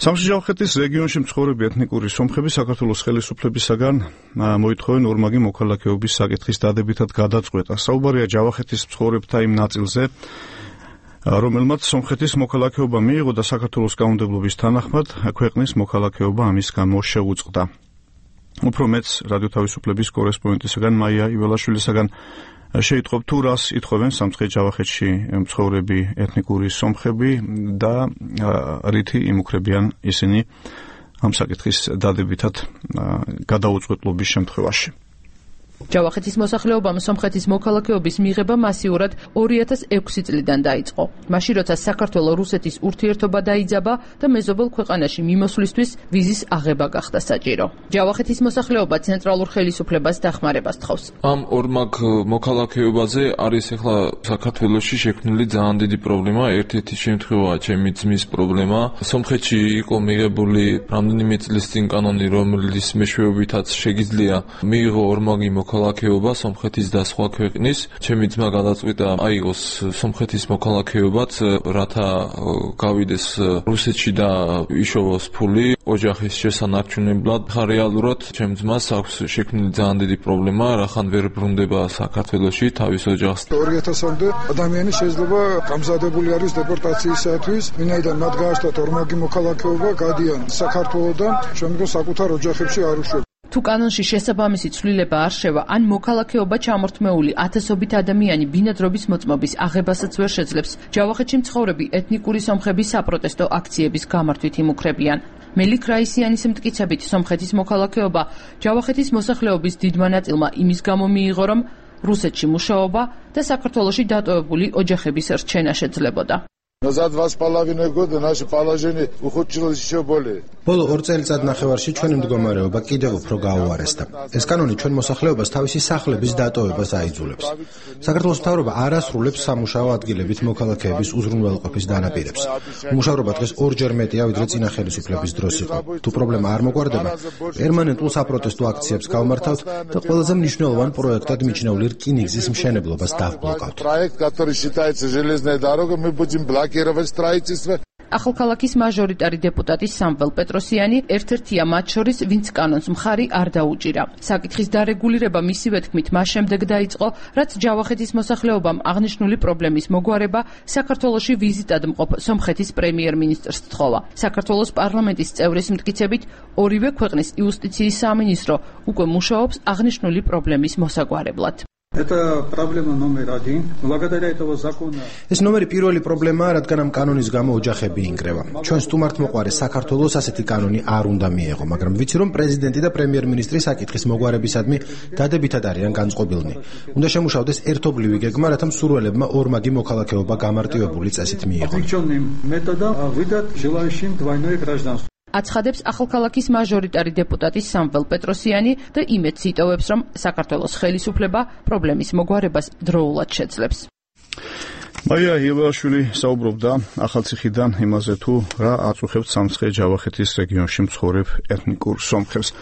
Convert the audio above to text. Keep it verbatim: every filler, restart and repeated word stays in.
სამშაბათის რეგიონში მცხოვრები ეთნიკური სომხები საქართველოს ხელისუფლებისაგან მოითხოვენ ორმაგი მოქალაქეობის საკითხის დადებითად გადაწყვეტა. საუბარია ჯავახეთის მცხოვრებთა იმ ნაწილზე, რომელმაც სომხეთის მოქალაქეობა მიიღო და საქართველოს კანონმდებლობის თანახმად ქვეყნის მოქალაქეობა ამის გამო შეუწყდა. უფრო მეც რადიო თავისუფლების კორესპონდენტისგან მაია იველაშვილისაგან შეიტყობ თუ რას ითხოვენ სამცხე ჯავახეთში მცხოვრები ეთნიკური სომხები და რითი იმუქრებიან ისინი ამ საკითხის დადებითად გადაუწყვეტლობის შემთხვევაში. ჯავახეთის მოსახლეობამ სომხეთის მოქალაქეობის მიღება მასიურად ორი ათას ექვსი წლიდან დაიწყო. მაშინ როცა საქართველო-რუსეთის ურთიერთობა დაიძაბა და მეზობელ ქვეყანაში მიმოსვლისთვის ვიზის აღება გახდა საჭირო. ჯავახეთის მოსახლეობა ცენტრალურ ხელისუფლებას დახმარებას თხოვს. ამ ორმაგ მოქალაქეობაზე არის ახლა საქართველოში შექმნილი ძალიან დიდი პრობლემა. ერთ-ერთი შემთხვევაა ჩემი ძმის პრობლემა. სომხეთში იყო მიღებული რამდენიმე წლის წინ კანონი, რომლის მეშვეობითაც შეგიძლია მიიღო ორმაგი მოქალაქეობა სომხეთის და სხვა ქვეყნის. ჩემი ძმა გადაწყვიტა აიღოს სომხეთის მოქალაქეობაც, რათა გავიდეს რუსეთში და იშოვოს ფული ოჯახის შესანარჩუნებლად. ხა რეალურად ჩემ ძმას აქვს შექმნილი ძალიან დიდი პრობლემა, რახან ვერ ბრუნდება საქართველოში თავის ოჯახს. ორი ათასამდე ადამიანი შეიძლება გამზადებული არის დეპორტაციისათვის, ვინაიდან მათ გააჩნდათ ორმაგი მოქალაქეობა, გადიან საქართველოდან, შემდგომ საკუთარ ოჯახებში არ უშვებენ. თუ კანონში შესაბამისი ცვლილება არ შევა, ან მოქალაქეობა ჩამორთმეული ათასობით ადამიანი ბინადრობის მოწმობის აღებასაც ვერ შეძლებს, ჯავახეთში მცხოვრები ეთნიკური სომხები საპროტესტო აქციების გამართვით იმუქრებიან. მელიქ რაისიანის მტკიცებით, სომხეთის მოქალაქეობა ჯავახეთის მოსახლეობის დიდმა ნაწილმა იმის გამო მიიღო, რომ რუსეთში მუშაობა და საქართველოში დატოვებული ოჯახების რჩენა შეძლებოდა. Назад вас половину года наши положение ухудшилось еще более. ბოლო ორ წელიწად ნახევარში ჩვენი მდგომარეობა კიდევ უფრო გაუარესდა. ეს კანონი ჩვენ მოსახლეობას თავისი სახლების დატოვებას აიძულებს. საქართველოს მთავრობა არ ასრულებს სამუშაო ადგილებით მოქალაქეების უზრუნველყოფის დანაპირებს. მუშაობა დღეს ორჯერ მეტია, ვიდრე წინა ხელისუფლების დროს იყო. თუ პრობლემა არ მოგვარდება, პერმანენტულ საპროტესტო აქციებს გავმართავთ და ყველაზე მნიშვნელოვან პროექტად მიჩნეული რკინიგზის მშენებლობას დავბლოკავთ. Проект, который считается железная дорога, мы будем блокировать строительство. ახალქალაქის მაჟორიტარი დეპუტატი სამվել პეტროსიანი ერთ-ერთია მათ შორის, ვინც კანონს მხარი არ დაუჭირა. საკითხის დარეგულირება მისივე თქმით მას შემდეგ დაიწყო, რაც ჯავახეთის მოსახლეობამ აღნიშნული პრობლემის მოგვარება საქართველოში ვიზიტად მყოფ სომხეთის პრემიერ-მინისტრს სთხოვა. საქართველოს პარლამენტის წევრის მტკიცებით, ორივე ქვეყნის იუსტიციის სამინისტრო უკვე მუშაობს აღნიშნული პრობლემის მოსაგვარებლად. Это проблема номер один. Благодаря этого закона. ეს ნომერი პირველი პრობლემაა, რადგან ამ კანონის გამო ოჯახები ინგრევა. ჩვენ სტუმართ მოყვარე საქართველოს ასეთი კანონი არ უნდა მიეღო, მაგრამ ვიცი რომ პრეზიდენტი და პრემიერ-მინისტრი საკითხის მოგვარებისადმი დადებითად არიან განწყობილნი. უნდა შემუშავდეს ერთობლივი გეგმა, რათა მსურველებმა ორმაგი მოქალაქეობა გამარტივებული წესით მიიღონ. მეტოდом выдать желающим двойное гражданство. აცხადებს ახალქალაქის მაჟორიტარი დეპუტატი სამվել პეტროსიანი და იმედს იტოვებს, რომ საქართველოს ხელისუფლება პრობლემის მოგვარებას დროულად შეძლებს. მაია იველაშვილი საუბრობდა ახალციხიდან იმაზე თუ რა აწუხებთ სამცხე ჯავახეთის რეგიონში მცხოვრებ ეთნიკურ სომხებს.